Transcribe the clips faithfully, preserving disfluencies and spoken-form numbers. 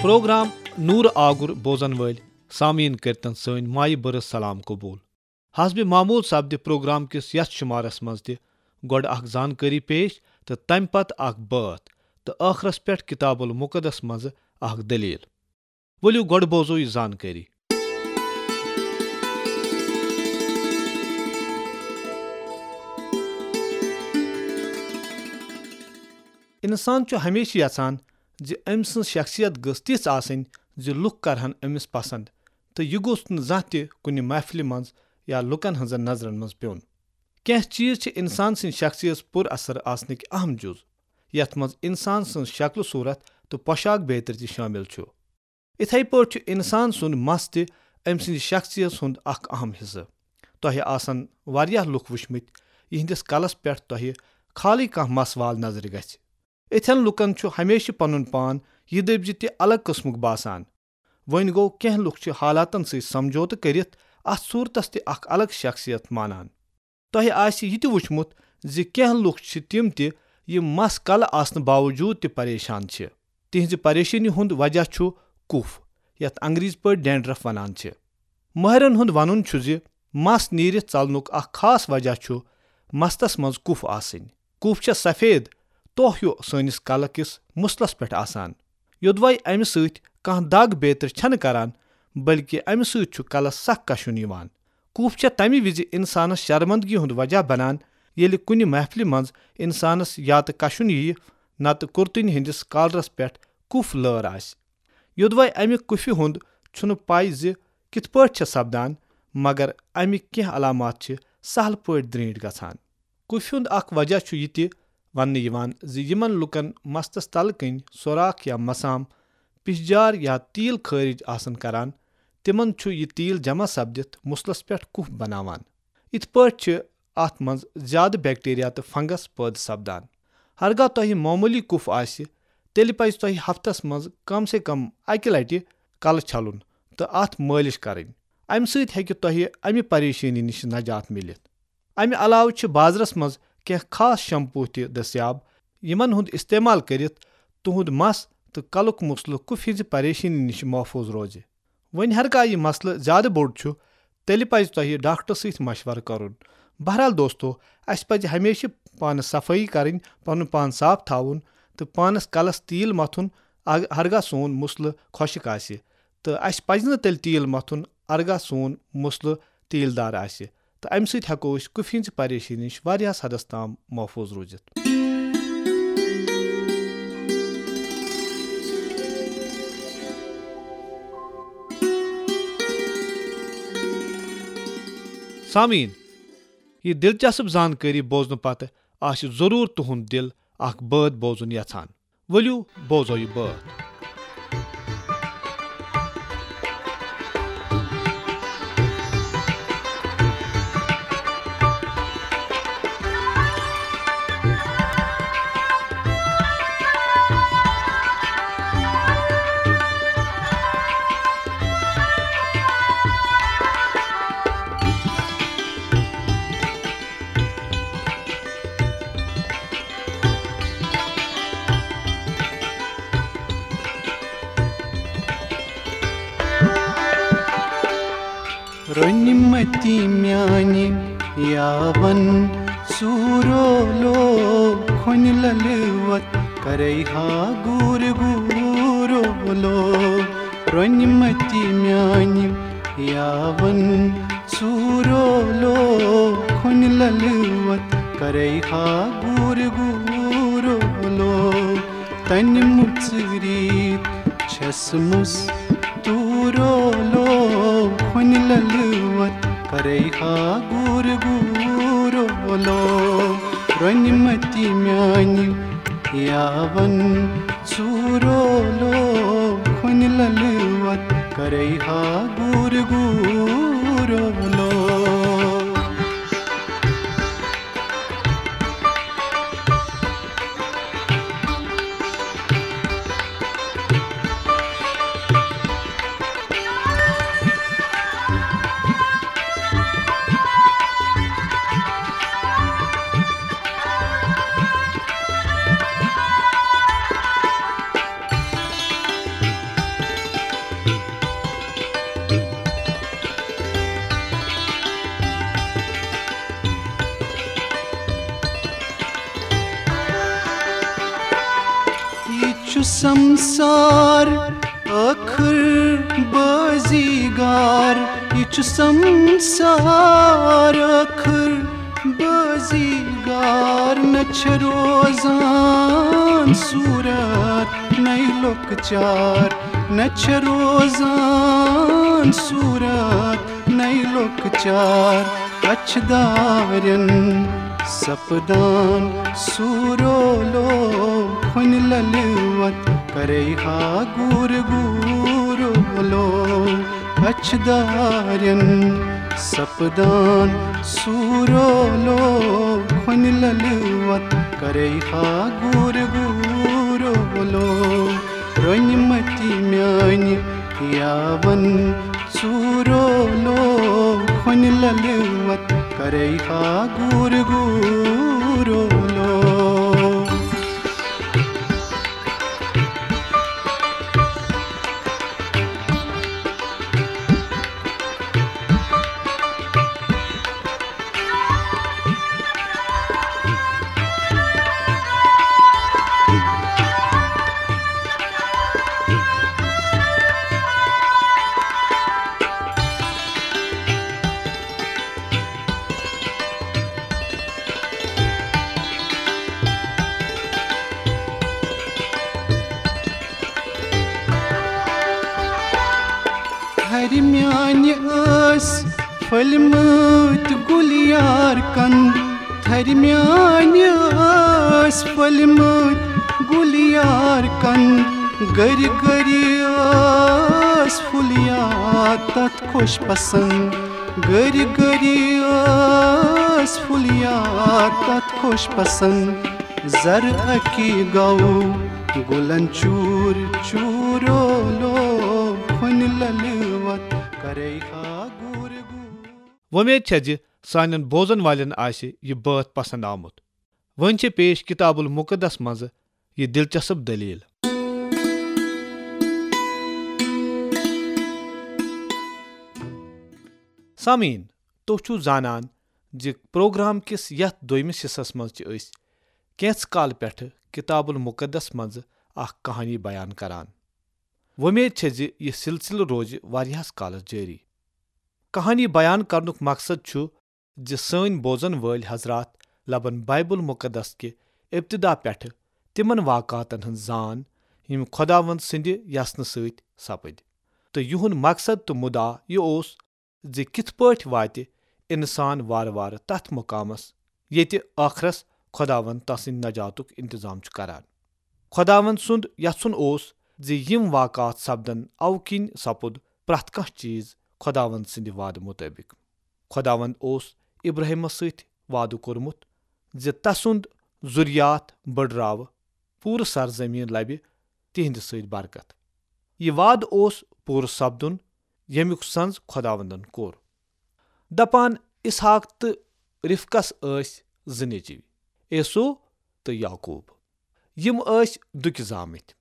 Programme نور آگُر بوزن وٲلۍ سامعیٖن کٔرتن سٲنۍ مایہِ بٔرٕژ سلام قبول۔ حسب معمول سپدِ پروگرام کِس یتھ شمارس منٛز تہِ گۄڈٕ اکھ زانکٲری پیش تہٕ تمہِ پتہٕ اکھ بٲتھ تہٕ ٲخرس پٮ۪ٹھ کتاب المقدس منٛز اکھ دٔلیٖل۔ ؤلِو گۄڈٕ بوزو یہِ زانکٲری۔ انسان چھُ ہمیشہِ یژھان زِ أمۍ سٕنٛز شخصیت گٔژھ تِژھ آسٕنۍ زِ لُکھ کرہن أمِس پسند، تہٕ یہِ گوٚژھ نہٕ زانٛہہ تہِ کُنہِ محفلہِ منٛز یا لُکن ہٕنٛزن نظرن منٛز پیوٚن۔ کینٛہہ چیز چھِ انسان سٕنٛدِ شخصیت پُر اثر آسنٕکۍ اہم جُز، یتھ منٛز انسان سٕنٛز شکل صورت تہٕ پۄشاک بیترِ تہِ شٲمِل چھُ۔ اِتھے پٲٹھۍ چھُ انسان سُنٛد مس تہِ أمۍ سٕنٛدِ شخصیت ہُنٛد اکھ اہم حصہٕ۔ تۄہہِ آسن واریاہ لُکھ وٕچھمٕتۍ، یِہنٛدِس کلس پٮ۪ٹھ تۄہہِ خالٕے کانٛہہ مس وال نظرِ گژھِ۔ یِتھٮ۪ن لُکن چھُ ہمیشہِ پنُن پان یہِ دٔپۍ زِ تہِ الگ قٕسمُک باسان۔ وۄنۍ گوٚو، کینٛہہ لُکھ چھِ حالاتن سۭتۍ سمجھوتہٕ کٔرِتھ اتھ صورتس تہِ اکھ الگ شخصیت مانان۔ تۄہہِ آسہِ یہِ تہِ وُچھمُت زِ کینٛہہ لُکھ چھِ تِم تہِ یِم مس کلہٕ آسنہٕ باوجوٗد تہِ پریشان چھِ۔ تِہنٛزِ پریشٲنی ہُنٛد وجہ چھُ کُف، یتھ انگریزی پٲٹھۍ ڈینڈرف ونان چھِ۔ مٲہرن ہُنٛد ونُن چھُ زِ مس نیٖرِتھ ژلنُک اکھ خاص وجہ چھُ مستس منٛز کُف آسٕنۍ۔ کُف چھےٚ سفید توہ ہیُو سٲنِس کلہٕ کِس مُسلس پٮ۪ٹھ آسان۔ یوٚدوے امہِ سۭتۍ کانٛہہ دگ بیترِ چھنہٕ کران، بلکہِ امہِ سۭتۍ چھُ کلس سخ کشُن یِوان۔ کُف چھےٚ تمہِ وِزِ انسانس شرمندگی ہُنٛد وجہ بنان، ییٚلہِ کُنہِ محفلہِ منٛز انسانس یا تہٕ کشُن یِیہِ، نتہٕ کُرتٕنۍ ہٕنٛدِس کالرس پٮ۪ٹھ کُف لٲر آسہِ۔ یوٚدوے امہِ کُفہِ ہُنٛد چھُنہٕ پَے زِ کِتھ پٲٹھۍ چھےٚ سپدان، مگر امِکۍ کینٛہہ علامات چھِ سہل پٲٹھۍ درینٹھۍ گژھان۔ کُفہِ ہُنٛد اکھ وجہ چھُ یہِ تہِ وننہٕ یِوان زِ یِمن لوٗکن مستس تلہٕ کنۍ سوراخ یا مسام، پِشجار یا تیٖل خٲرج آسن کران، تِمن چھُ یہِ تیٖل جمع سپدِتھ مُسلس پٮ۪ٹھ کُف بناوان۔ یِتھ پٲٹھۍ چھِ اتھ منٛز زیادٕ بیکٹیریا تہٕ فنگس پٲدٕ سپدان۔ ہرگاہ تۄہہِ معموٗلی کُف آسہِ، تیٚلہِ پزِ تۄہہِ ہفتس منٛز کم سے کم اکہِ لٹہِ کلہٕ چھلُن تہٕ اتھ مٲلِش کرٕنۍ۔ امہِ سۭتۍ ہیٚکہِ تۄہہِ امہِ پریشٲنی نِش نجات میلِتھ۔ امہِ علاوٕ چھِ بازرس منٛز کینٛہہ خاص شمپو تہِ دٔستیاب، یِمن ہُنٛد استعمال کٔرِتھ تُہنٛد مس تہٕ کلُک مسلہٕ کُفہِ ہٕنٛزِ پریشٲنی نِش محفوٗظ روزِ۔ وۄنۍ ہرگاہ یہِ مسلہٕ زیادٕ بوٚڑ چھُ، تیٚلہِ پزِ تۄہہِ ڈاکٹرس سۭتۍ مشورٕ کرُن۔ بہرحال دوستو، اسہِ پزِ ہمیشہِ پانس صفٲیی کرٕنۍ، پنُن پان صاف تھاوُن تہٕ پانس کلس تیٖل متھُن، اگ-، ہرگاہ سون مسلہٕ خۄشک آسہِ۔ تہٕ اسہِ پزِ نہٕ تیٚلہِ تیٖل متھُن، ہرگاہ سون مسلہٕ تیٖل دار آسہِ۔ تہٕ امہِ سۭتۍ ہیٚکو أسۍ کُفہِ ہٕنٛزِ پریشٲنی نِش واریاہس حدس تام محفوٗظ روٗزِتھ۔ سامعیٖن، یہِ دلچسپ زانکٲری بوزنہٕ پتہٕ آسہِ ضروٗر تُہُنٛد دل اکھ بٲتھ بوزُن یژھان۔ ؤلِو بوزو یہِ بٲتھ۔ رۄنمتی میانہِ یاون سوٗرولو، کھۄنہِ للوت کرے ہا گوٗر گوٗرولو۔ رۄنمتی میانہِ یاون سوٗرولو، کھۄنہِ للوت کرے ہا گوٗر گوٗرولو۔ تنہِ مُژرِتھ چھس مُس توٗرولو، کھۄنہِ للوت کرے ہا گوٗر گوٗرولو۔ رۄنمتی میانہِ یاون سوٗرولو، کھۄنہِ للوت کرے ہا گوٗر گوٗرولو۔ سمسار ٲخٕر بٲزی گار، یہِ چھُ سمسار ٲخٕر بٲزی گار۔ نہ چھِ روزان صوٗرت نَے لۄکچار، نہ چھِ روزان صوٗرت نَے لۄکچار۔ اچھِ دارٮ۪ن سپدان سوٗرولو، کھۄنہِ لَلہِ وَت کَرَے ہا گوٗر گوٗرولو۔ اچھِ دارٮ۪ن سپدان سوٗرولو، کھۄنہِ لَلہِ وَت کَرَے ہا گوٗر گوٗرولو۔ رۄنہِ مَتہِ میٛانہِ یاوَن ژوٗرولو، کھۄنہِ لَلہِ وَت کَرَے ہا گوٗر گوٗرولو۔ تھرِ میٛانہِ ٲسۍ پھٔلمٕتۍ گُلیار کَن، تھرِ میٛانہِ ٲسۍ پھٔلمٕتۍ گُلیار کَن، گٔرۍ گٔرۍ ٲس پھُلیار تَتھ خۄش پسنٛد، گٔرۍ گٔرۍ ٲس پھُلیار تَتھ خۄش پسنٛد۔ زَرٕ اَکہِ گَو گُلَن چوٗر چوٗرولو، کھۄنہِ لَلہِ وَت کَرَے ہا گوٗر گوٗر۔ وۄمید چھےٚ زِ سانٮ۪ن بوزن والٮ۪ن آسہِ یہِ بٲتھ پسند آمُت۔ وۄنۍ چھِ پیش کتاب المقدس منٛزٕ یہِ دلچسپ دٔلیٖل۔ سامعیٖن، تُہۍ چھِو زانان زِ پروگرام کِس یتھ دوٚیمِس حصس منٛز چھِ أسۍ کینٛژھ کال پٮ۪ٹھٕ کتاب المقدس منٛزٕ اکھ کہانی بیان کران۔ وۄمید چھےٚ زِ یہِ سلسلہٕ روزِ واریاہس کالس جٲری۔ کہانی بیان کرنُک مقصد چھُ زِ سٲنۍ بوزن وٲلۍ حضرات لبن بایبل مقدس کہِ ابتدا پٮ۪ٹھٕ تِمن واقعاتن ہٕنٛز زان، یِم خۄداوند سٕنٛدِ یژنہٕ سۭتۍ سپٕدۍ۔ تہٕ یِہُنٛد مقصد تہٕ مُدعا یہِ اوس زِ کِتھ پٲٹھۍ واتہِ انسان وارٕ وارٕ تتھ مقامس، ییٚتہِ ٲخرس خۄداوند تسٕنٛدِ نجاتُک انتظام چھُ کران۔ خۄداوند سُنٛد یژھُن اوس زِ یِم واقعات سپدن، اوٕ کِنۍ سپُد پرٛٮ۪تھ کانٛہہ چیٖز خۄداوند سٕنٛدِ وعدٕ مُطٲبِق۔ خۄداوند اوس ابراہیمس سۭتۍ وعدٕ کوٚرمُت زِ تسُنٛد ذُریات بٔڑراوٕ، پوٗرٕ سرزمین لبہِ تِہنٛدِ سۭتۍ برکت۔ یہِ وعدٕ اوس پوٗرٕ سپدُن، ییٚمیُک سنز خۄداوندن کوٚر۔ دپان، اسحاق تہٕ رفقس ٲسۍ زٕ نیٚچوۍ، عیسو تہٕ یعقوب۔ یِم ٲسۍ دُکہِ زامٕتۍ۔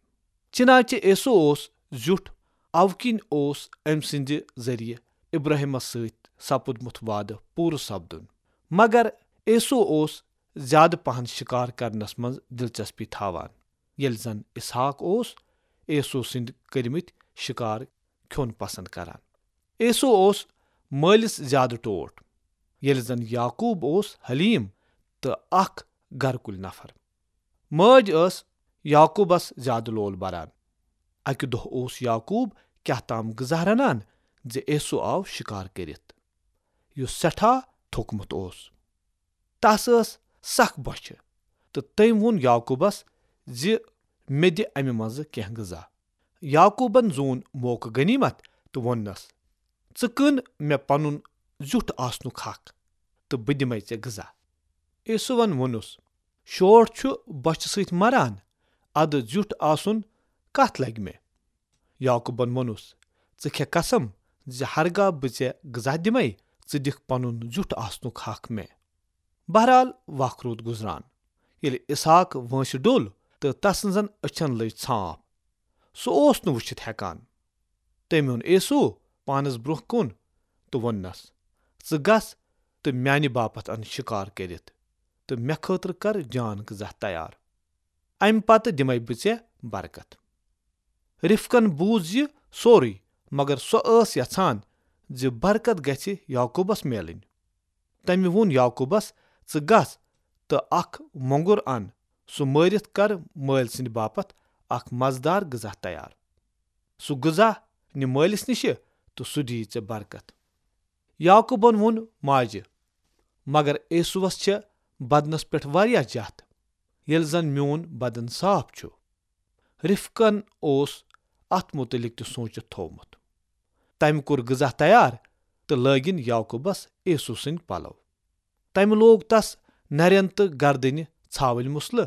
چنانچہ عیسو اوس زیُٹھ، اوٕ کِنۍ اوس أمۍ سٕنٛدِ ذٔریعہٕ ابراہیمس سۭتۍ سپُدمُت وعدٕ پوٗرٕ سپدُن۔ مگر عیسو اوس زیادٕ پہن شکار کرنس منٛز دلچسپی تھاوان، ییٚلہِ زن اسحاق اوس عیسو سٕنٛدۍ کٔرمٕتۍ شکار کھیوٚن پسند کران۔ عیسو اوس مٲلِس زیادٕ ٹوٹھ، ییٚلہِ زن یعقوب اوس حلیم تہٕ اکھ گرٕ کُلۍ نفر۔ مٲج ٲس یعقوبس زیادٕ لول بران۔ اکہِ دۄہ اوس یعقوب کیاہ تام غذا رنان زِ عیسو آو شکار کٔرِتھ، یُس سٮ۪ٹھاہ تھوٚکمُت اوس۔ تس ٲس سخ بۄچھِ، تہٕ تٔمۍ ووٚن یعقوبس زِ مےٚ دِ امہِ منزٕ کینٛہہ غذا۔ یعقوبن زون موقعہٕ غنیمت تہٕ ووٚننس، "ژٕ کٕن مےٚ پنُن زیُٹھ آسنُک حق، تہٕ بہٕ دِمے ژےٚ غذا۔" عیسوون ووٚنُس، "شوٹھ چھُ بۄچھِ سۭتۍ مران، ادٕ زیُٹھ آسُن کتھ لگہِ مےٚ؟" یعقوبن ووٚنُس، "ژٕ کھےٚ قسم زِ ہرگاہ بہٕ ژےٚ غذا دِمے، ژٕ دِکھ پنُن زیُٹھ آسنُک حق مےٚ۔" بہرحال، وق روٗد گُزران۔ ییٚلہِ اسحاق وٲنٛسہِ ڈوٚل تہٕ تسٕنزن أچھن لٔج ژھانٛپھ، سُہ اوس نہٕ وُچھِتھ ہٮ۪کان۔ تٔمۍ اوٚن عیسو پانس برونٛہہ کُن تہٕ ووٚننس، "ژٕ گژھ تہٕ میانہِ باپتھ ان شکار کٔرِتھ تہٕ مےٚ خٲطرٕ کر جان غذا تیار۔ امہِ پتہٕ دِمے بہٕ ژےٚ برکت۔" رفقن بوٗز یہِ سورُے، مگر سۄ ٲس یژھان زِ برکت گژھِ یعقوبس میلٕنۍ۔ تٔمۍ ووٚن یعقوبس، "ژٕ گژھ تہٕ اکھ مۄنگُر ان، سُہ مٲرِتھ کر مٲلۍ سٕنٛدِ باپتھ اکھ مزٕدار غذا تیار۔ سُہ غذا نہِ مٲلِس نِشہِ تہٕ سُہ دِیہِ ژےٚ برکت۔" یعقوبن ووٚن ماجہِ، "مگر عیسوس چھےٚ بدنس پٮ۪ٹھ واریاہ جتھ، ییٚلہِ زن میون بدن صاف چھُ۔" رفقن اوس اتھ متعلق تہِ سوٗنچِتھ تھوومُت۔ تٔمۍ کوٚر غذا تیار تہٕ لٲگِن یعقوبس عیسو سٕنٛدۍ پلو۔ تٔمۍ لوگ تس نرٮ۪ن تہٕ گردنہِ ژھاوٕلۍ مسلہٕ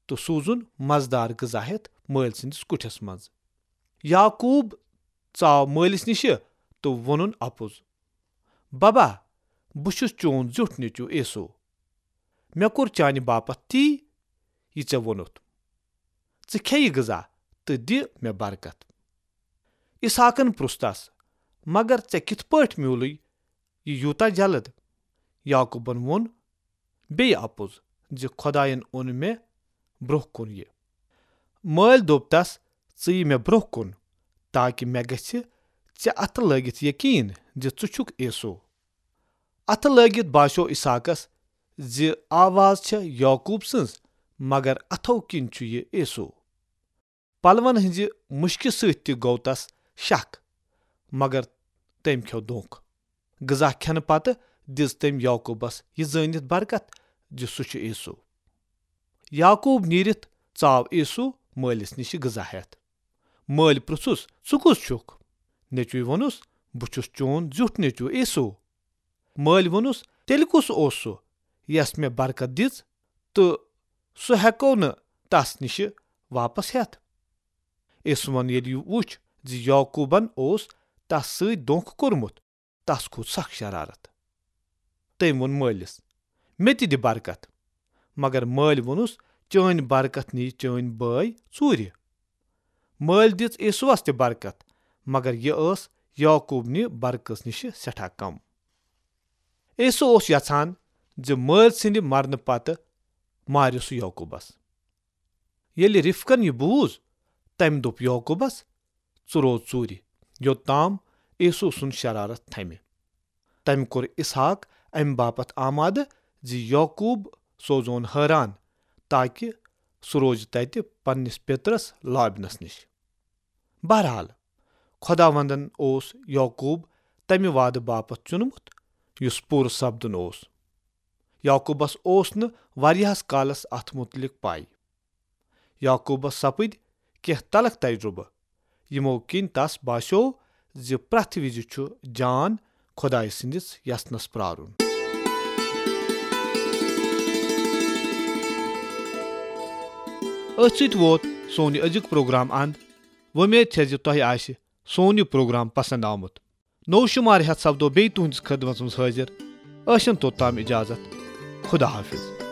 تہٕ سوٗزُن مزٕدار غذا ہٮ۪تھ مٲلۍ سٕنٛدِس کُٹھِس منٛز۔ یعقوب ژاو مٲلِس نِشہِ تہٕ ووٚنُن اپُز، "ببا، بہٕ چھُس چون زیُٹھ نیٚچو عیسو۔ مےٚ کوٚر چانہِ باپتھ تی، یہِ ژےٚ ووٚنُتھ۔ ژٕ کھے یہِ غذا تہٕ دِ مےٚ برکت۔" اسحاقن پرُژھ تس، "مگر ژےٚ کِتھ پٲٹھۍ میوٗلُے یہِ یوٗتاہ جلد؟" یعقوبن ووٚن بیٚیہِ اپُز زِ خۄداین اوٚن مےٚ برونٛہہ کُن یہِ۔ مٲلۍ دوٚپ تس، "ژٕ یہِ مےٚ برونٛہہ کُن، تاکہ مےٚ گژھِ ژےٚ اتھٕ لٲگِتھ یقین زِ ژٕ چھُکھ عیسو۔" اتھٕ لٲگِتھ باسیو اسحاقس زِ آواز چھےٚ یعقوب سٕنٛز، مگر اتھو کِنۍ چھُ یہِ عیسو۔ پلون ہٕنٛزِ مُشکہِ سۭتۍ تہِ گوٚو تس شک، مگر تٔمۍ کھیوٚو دھوکہ۔ غذا کھٮ۪نہٕ پتہٕ دِژ تٔمۍ یعقوبس یہِ زٲنِتھ برکت زِ سُہ چھُ عیسو۔ یعقوب نیٖرِتھ ژاو عیسو مٲلِس نِش غذا ہٮ۪تھ۔ مٲلۍ پرُژھُس، "ژٕ کُس چھُکھ؟" نیٚچوۍ ووٚنُس، "بہٕ چھُس چون زیُٹھ نیٚچو عیسو۔" مٲلۍ ووٚنُس، "تیٚلہِ کُس اوس سُہ، یس مےٚ برکت دِژ، تہٕ سُہ ہٮ۪کو نہٕ تس نِشہِ واپس ہٮ۪تھ؟" عیسوَن ییٚلہِ یہِ وُچھ زِ یعقوبن اوس تس سۭتۍ دھوکہ کوٚرمُت، تس کھوٚت سخ شرارت۔ تٔمۍ ووٚن مٲلِس، "مےٚ تہِ دِ برکت۔" مگر مٲلۍ ووٚنُس، "چٲنۍ برکت نِیہِ چٲنۍ بٲے ژوٗرِ۔" مٲلۍ دِژ عیسوس تہِ برکت، مگر یہِ ٲس یعقوب نہِ برکت نِش سٮ۪ٹھاہ کم۔ عیسو اوس یژھان زِ مٲلۍ سٕنٛدِ مرنہٕ پتہٕ مارِ سُہ یعقوبس۔ ییٚلہِ رفقن یہِ بوٗز، تٔمۍ دوٚپ یعقوبس، "ژٕ روز ژوٗرِ، یوٚت تام عیسو سُنٛد شرارت تھمہِ۔" تٔمۍ کوٚر اسحاق امہِ باپتھ آمادٕ زِ یعقوب سوزون حٲران، تاکہ سُہ روزِ تتہِ پننِس پیترس لابنس نِش۔ بہرحال، خۄداوندن اوس یعقوب تمہِ وعدٕ باپتھ چُنمُت، یُس پوٗرٕ سپدُن اوس۔ یعقوبس اوس نہٕ واریاہس کالس اتھ متعلق پاے۔ یعقوبس سپٕدۍ کینٛہہ تلخ تجربہٕ، یِمو کِنۍ تس باسیو زِ پرٛٮ۪تھ وِزِ چھُ جان خۄدایہِ سٕنٛدِس یژنس پرارُن۔ أتھۍ سۭتۍ ووت سون یہِ أزیُک پروگرام اند۔ وۄمید چھےٚ زِ تۄہہِ آسہِ سون یہِ پروگرام پسند آمُت۔ نوٚو شمارٕ ہٮ۪تھ سپدو بیٚیہِ تُہنٛدِس خدمتس منٛز حٲضِر۔ ٲسِن توٚتام اجازت۔ خدا حافظ۔